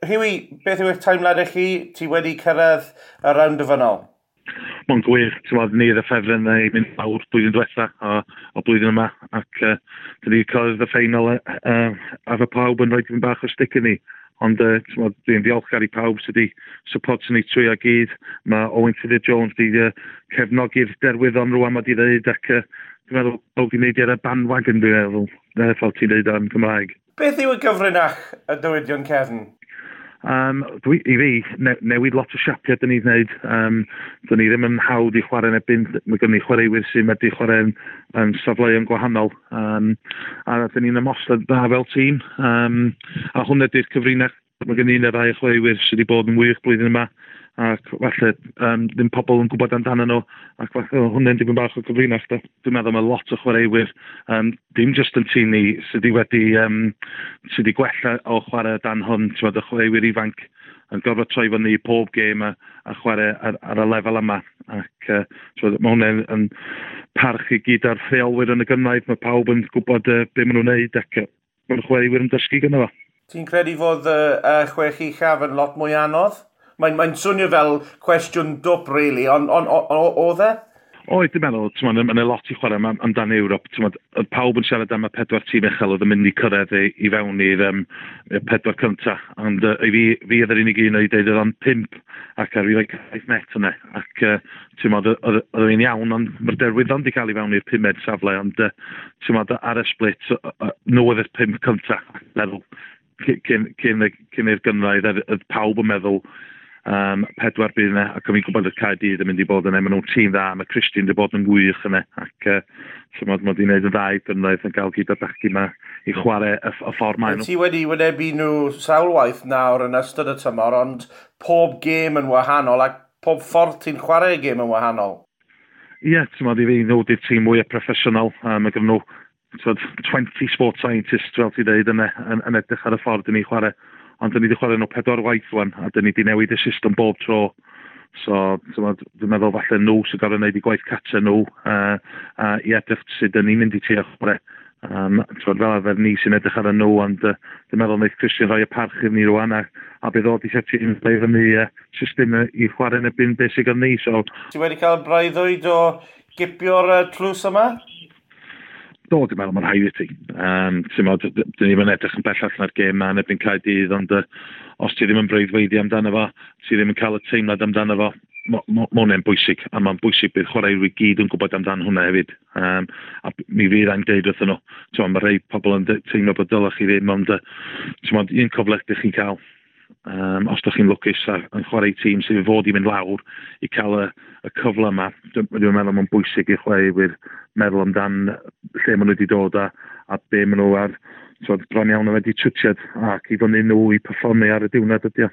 Huwi, beth yw eich teimlad chi? Ti wedi cyrraedd y rownd derfynol? Mae'n gwych, ti'n meddwl, ni oedd y ffefryn i mynd lawr blwyddyn diwetha o blwyddyn yma, ac dyn ni wedi cyrraedd y ffeinal efo pawb yn rhoi tipyn bach o stick i ni. Ond ti'n dwi'n ddiolchgar i pawb sydd wedi support ni trwy a gyd. Mae Owen Tudur Jones wedi cefnogi'r derwyddon rwan mae wedi dweud, ac dwi'n meddwl pawb wedi wneud ar y bandwagon, dwi'n meddwl, fel ti'n dweud am Gymraeg. Beth yw y gyfrinach y dywydion cefn? I fi, newid lot o siapiau dyn ni'n gwneud. Dyn ni ddim yn hawdd i chwarae yn erbyn, mae gen ni chwaraewyr sy'n medru chwarae yn safleoedd gwahanol. A dyn ni'n ymosod dda fel tîm. A hwnna ydy'r cyfrinach. Mae gen i un neu ddau o chwaraewyr sydd wedi bod yn wych blwyddyn yma ac falle ddim pobl yn gwybod amdano nhw ac falle hwnna'n dipyn bach o gyfrinach. Da. Dwi'n meddwl mae lot o chwaraewyr, dim just yn tîm ni, sydd wedi gwella o chwarae dan hwn, ti'n meddwl, y chwaraewyr ifanc yn gorfod troi fyny pob gêm a chwarae ar y lefel yma. Ac mae hwnna'n yn parch i gyd ar rheolwyr yn y gynghrair, mae pawb yn gwybod be maen nhw'n neud ac mae'r chwaraewyr yn dysgu gyda fo. Ti'n credu fod y chwech uchaf yn lot mwy anodd? Mae'n swnio fel cwestiwn dwp, really, ond oedd e? Oedd, dwi'n meddwl, mae'n ma lot i chwarae amdan Ewrop. T'mod, oedd pawb yn siarad am y pedwar tîm uchel oedd yn mynd i cyrraedd i fewn i'r pedwar cynta. Ond i fi oedd yr unig un oedd dweud oedd o'n pump ac ar fi like saith met yna. Ac t'mod, oedd fi'n iawn, ond mae'r derwyddon wedi cael i fewn i'r pumed safle, ond t'mod, ar y split, nhw oedd y pump cynta. Meddwl, cyn i'r gynghrair, oedd pawb yn meddwl pedwar bydd yna, ac o'n i'n gwybod y Caerdydd yn mynd i bod yna, maen nhw'n tîm dda, mae Christian wedi bod yn wych yna, ac t'mod, mae wedi gwneud yn dda i gynghrair yn gael gyda'r bechgyn yma i chwarae y ffordd maen nhw. Ti wedi wynebu nhw sawl waith nawr yn ystod y tymor, ond pob gêm yn wahanol, ac pob ffordd ti'n chwarae gêm yn wahanol. Ie, yeah, ti'n i fi, nhw di'r tîm mwyaf proffesiynol. Mae gen nhw t'mod, 20 sport scientists, fel ti'n dweud, yn edrych ar y ffordd dyn ni chwarae. Ond dyn ni wedi chwarae nhw pedwar waith wan, a dyn ni wedi newid y system bob tro. So, t'mod, dwi'n meddwl falle nhw sy'n gorfod gwneud i gwaith cartre nhw i edrych sut dyn ni'n mynd i trio chwarae. T'mod, fel arfer ni sy'n edrych ar y nhw, ond dwi'n meddwl wneith Christian rhoi y parch iddyn ni rwan, a bydd o di setio i'n play fyny system i chwarae yn erbyn beth sydd gan ni. So, Ti wedi cael breuddwyd o gipio'r tlws yma? Do, dwi'n meddwl mae'n rhaid i ti. Ti'n meddwl, dyn ni'n edrych yn bell allan ar gêm ma yn erbyn Caerdydd, ond os ti ddim yn breuddwydio amdano fo, ti ddim yn cael y teimlad amdano fo, ma hwnna'n bwysig, a mae'n bwysig bydd chwaraewyr i gyd yn gwybod amdan hwnna hefyd. A mi fydd a'n deud wrthyn nhw, ti'n meddwl, mae rhai pobl yn teimlo bod dylech chi ddim, ond ti'n meddwl, un cyfle ydych chi'n cael. Os ydych chi'n lwcus a yn chwarae tîm sydd i fod i fynd lawr i cael y cyfle yma, dwi'n meddwl mae'n bwysig i chwaraewyr meddwl amdan lle maen nhw wedi dod a be maen nhw ar, t'mod, bron iawn wedi twtsiad ac i fyny nhw i perfformio ar y diwrnod ydi o.